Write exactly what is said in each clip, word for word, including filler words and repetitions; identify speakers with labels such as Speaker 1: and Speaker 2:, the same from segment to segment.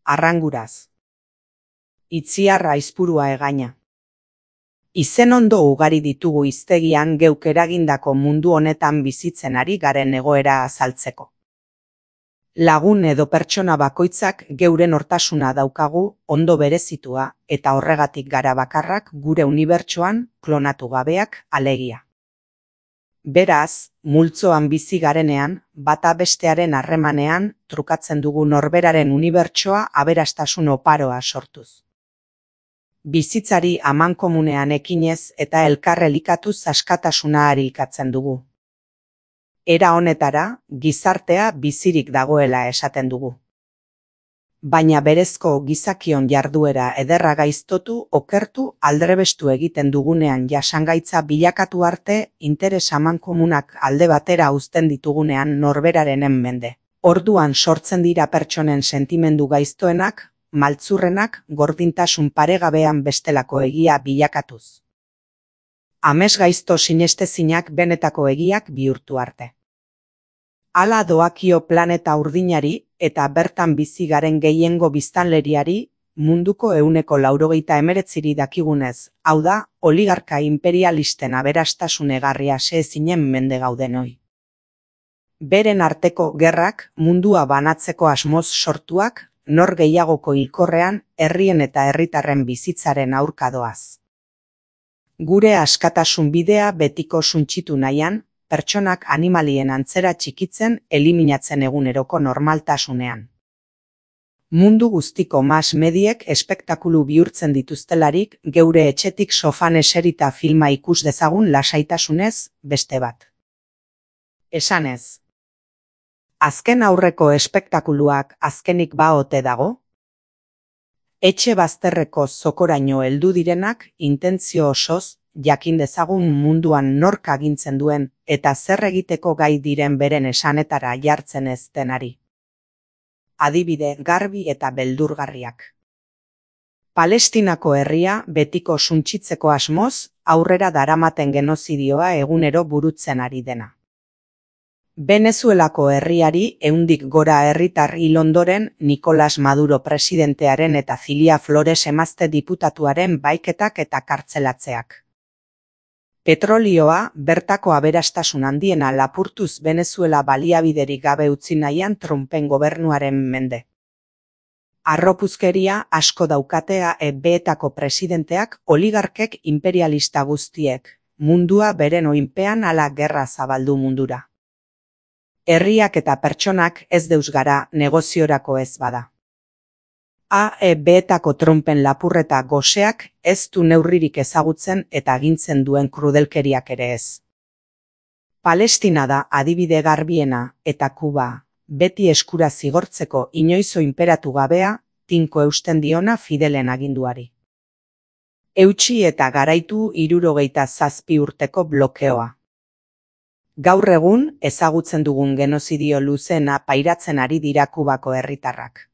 Speaker 1: arranguraz. Itziarra aizpurua egaina. Izen ondo ugari ditugu hiztegian geuk eragindako mundu honetan bizitzen ari garen egoera azaltzeko. Lagun edo pertsona bakoitzak geuren hortasuna daukagu ondo berezitua eta horregatik gara bakarrak gure unibertsoan klonatu gabeak alegia. Beraz, multzoan bizi garenean, bata bestearen harremanean trukatzen dugu norberaren unibertsoa aberastasun oparoa sortuz. Bizitzari amankomunean ekinez eta elkar elikatuz askatasuna harikatzen dugu. Era honetara, gizartea bizirik dagoela esaten dugu. Baina berezko gizakion jarduera ederra gaiztotu, okertu, aldrebestu egiten dugunean jasangaitza bilakatu arte, interes amankomunak alde batera uzten ditugunean norberaren mende. Orduan sortzen dira pertsonen sentimendu gaiztoenak, maltzurrenak gordintasun paregabean bestelako egia bilakatuz. Ames gaizto sinestezinak benetako egiak bihurtu arte. Hala doakio planeta urdinari eta bertan bizi garen gehiengo biztanleriari munduko ehuneko laurogeita hemeretziri dakigunez, hau da, oligarka imperialisten aberastasun egarria sezinen mende gaudenoi. Beren arteko gerrak mundua banatzeko asmoz sortuak, nor gehiagoko hilkorrean herrien eta herritarren bizitzaren aurka doaz. Gure askatasun bidea betiko suntsitu nahian, pertsonak animalien antzera txikitzen eliminatzen eguneroko normaltasunean. Mundu guztiko mas mediek espektakulu bihurtzen dituztelarik geure etxetik sofan eserita filma ikus dezagun lasaitasunez beste bat. Esanez. Azken aurreko espektakuluak azkenik ba ote dago? Etxe bazterreko zokoraino heldu direnak intentzio osoz jakin dezagun munduan nork agintzen duen eta zer egiteko gai diren beren esanetara jartzen ez denari. Adibide garbi eta beldurgarriak. Palestinako herria betiko suntsitzeko asmoz aurrera daramaten genozidioa egunero burutzen ari dena. Venezuelako herriari ehundik gora herritar hil ondoren Nicolas Maduro presidentearen eta Zilia Flores emazte diputatuaren baiketak eta kartzelatzeak. Petrolioa bertako aberastasun handiena lapurtuz Venezuela baliabiderik gabe utzi nahian Trumpen gobernuaren mende. Arropuzkeria asko daukatea E B-etako presidenteak oligarkek imperialista guztiek, mundua beren oinpean ala gerra zabaldu mundura. Herriak eta pertsonak ez deus gara negoziorako ez bada. A E B-etako Trumpen lapurreta goseak ez du neurririk ezagutzen eta agintzen duen krudelkeriak ere ez. Palestina da adibide garbiena eta Kuba, beti eskura zigortzeko inoizo inperatu gabea, tinko eusten diona Fidelen aginduari. Eutsi eta garaitu hirurogeita zazpi urteko blokeoa. Gaur egun ezagutzen dugun genozidio luzena pairatzen ari dira Kubako herritarrak.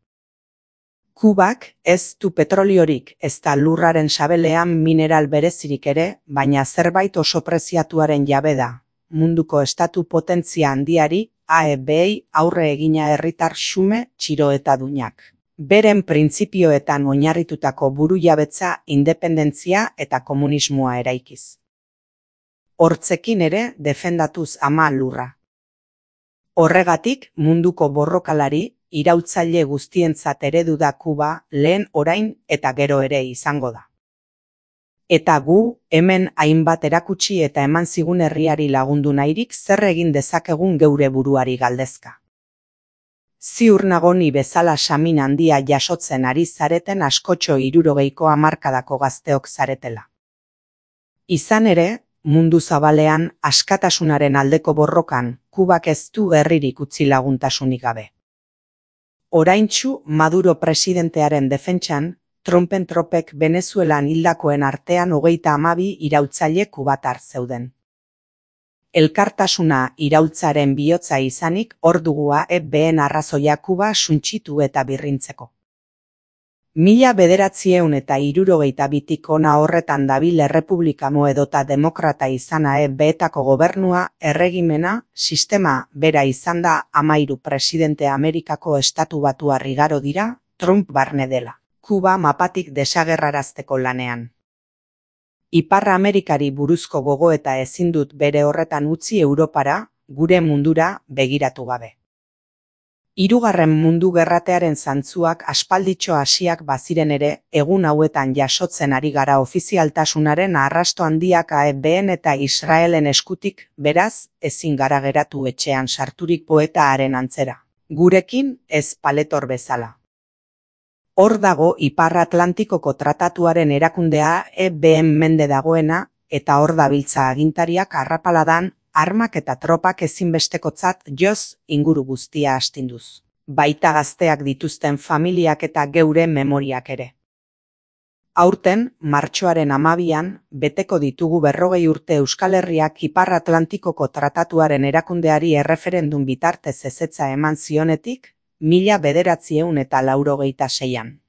Speaker 1: Kubak ez du petroliorik ezta lurraren sabelean mineral berezirik ere, baina zerbait oso preziatuaren jabe da. Munduko estatu potentzia handiari A E B-ei aurre egina herritar xume, txiro eta duinak. Beren printzipioetan oinarritutako burujabetza, independentzia eta komunismoa eraikiz. Hortzekin ere defendatuz ama lurra. Horregatik munduko borrokalari, iraultzaile guztientzat eredu da Kuba lehen orain eta gero ere izango da. Eta gu, hemen hainbat erakutsi eta eman zigun herriari lagundu nahirik zer egin dezakegun geure buruari galdezka. Ziur nago ni bezala samin handia jasotzen ari zareten askotxo hirurogeiko hamarkadako gazteok zaretela. Izan ere, mundu zabalean askatasunaren aldeko borrokan, Kubak ez du herririk utzi laguntasunik gabe. Oraintsu Maduro presidentearen defentsan, Trumpen tropek Venezuelan hildakoen artean hogeita hamabi iraultzaile kubatar zeuden. Elkartasuna iraultzaren bihotza izanik hor dugu A E B-en arrazoia Kuba suntsitu eta birrintzeko. Mila bederatzieun eta hirurogeita bitik hona horretan dabil errepublikano edota demokrata izan A E B-etako gobernua, erregimena, sistema bera izan da hamairu presidente Amerikako estatu batuar igaro dira, Trump barne dela. Kuba mapatik desagerrarazteko lanean. Ipar Amerikari buruzko gogoeta ezin dut bere horretan utzi Europara, gure mundura, begiratu gabe. Hirugarren mundu gerratearen zantzuak aspalditxo hasiak baziren ere, egun hauetan jasotzen ari gara ofizialtasunaren arrasto handiak A E Bn eta Israelen eskutik, beraz, ezin gara geratu etxean sarturik poeta haren antzera. Gurekin, ez paletor bezala. Hor dago Ipar Atlantikoko Tratatuaren erakundea A E Bn mende dagoena, eta hor dabiltza agintariak arrapaladan, armak eta tropak ezinbestekotzat joz inguru guztia astinduz. Baita gazteak dituzten familiak eta geure memoriak ere. Aurten, martxoaren hamabian, beteko ditugu berrogei urte Euskal Herriak Ipar Atlantikoko Tratatuaren erakundeari erreferendum bitartez ezetza eman zionetik, mila bederatziehun eta laurogeita seian.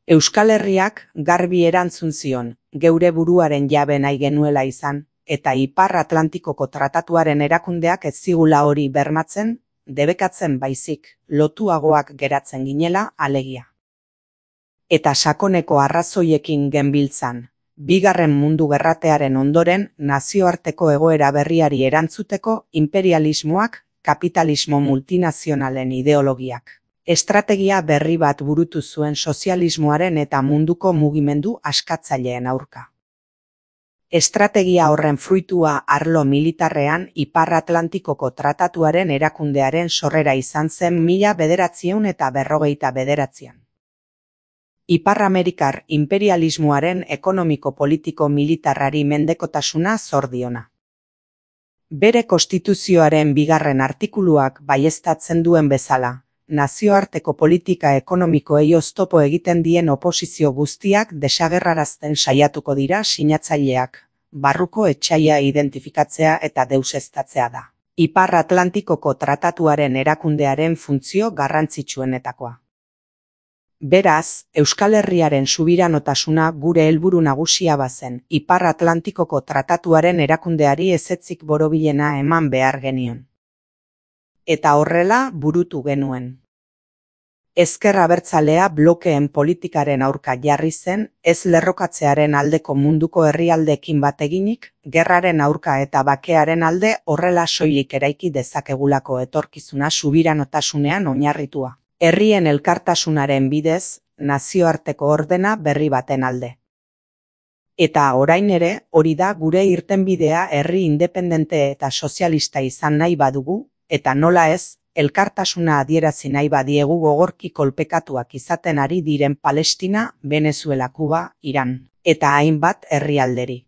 Speaker 1: Euskal Herriak garbi erantzun zion, geure buruaren jabe nahi genuela izan, eta Ipar Atlantikoko Tratatuaren erakundeak ez zigula hori bermatzen, debekatzen baizik, lotuagoak geratzen ginela alegia. Eta sakoneko arrazoiekin genbiltzan, bigarren mundu gerratearen ondoren nazioarteko egoera berriari erantzuteko imperialismoak, kapitalismo multinazionalen ideologiak. Estrategia berri bat burutu zuen sozialismoaren eta munduko mugimendu askatzaileen aurka. Estrategia horren fruitua arlo militarrean Ipar Atlantikoko Tratatuaren erakundearen sorrera izan zen mila bederatziehun eta berrogeita bederatzian. Ipar Amerikar imperialismoaren ekonomiko-politiko-militarrari mendekotasuna zor diona. Bere konstituzioaren bigarren artikuluak baieztatzen duen bezala, nazioarteko politika ekonomikoei oztopo egiten dien oposizio guztiak desagerrarazten saiatuko dira sinatzaileak, barruko etsaia identifikatzea eta deuseztatzea da. Ipar Atlantikoko Tratatuaren erakundearen funtzio garrantzitsuenetakoa. Beraz, Euskal Herriaren subiranotasuna gure helburu nagusia bazen, Ipar Atlantikoko Tratatuaren erakundeari ezetzik borobilena eman behar genion. Eta horrela burutu genuen. Ezker Abertzalea blokeen politikaren aurka jarri zen, ez lerrokatzearen aldeko munduko herrialdeekin bat eginik, gerraren aurka eta bakearen alde horrela soilik eraiki dezakegulako etorkizuna subiranotasunean oinarritua. Herrien elkartasunaren bidez, nazioarteko ordena berri baten alde. Eta orain ere, hori da gure irtenbidea herri independente eta sozialista izan nahi badugu, eta nola ez, elkartasuna adierazi nahi badiegu gogorki kolpekatuak izaten ari diren Palestina, Venezuela, Kuba, Iran, eta hainbat herrialderi.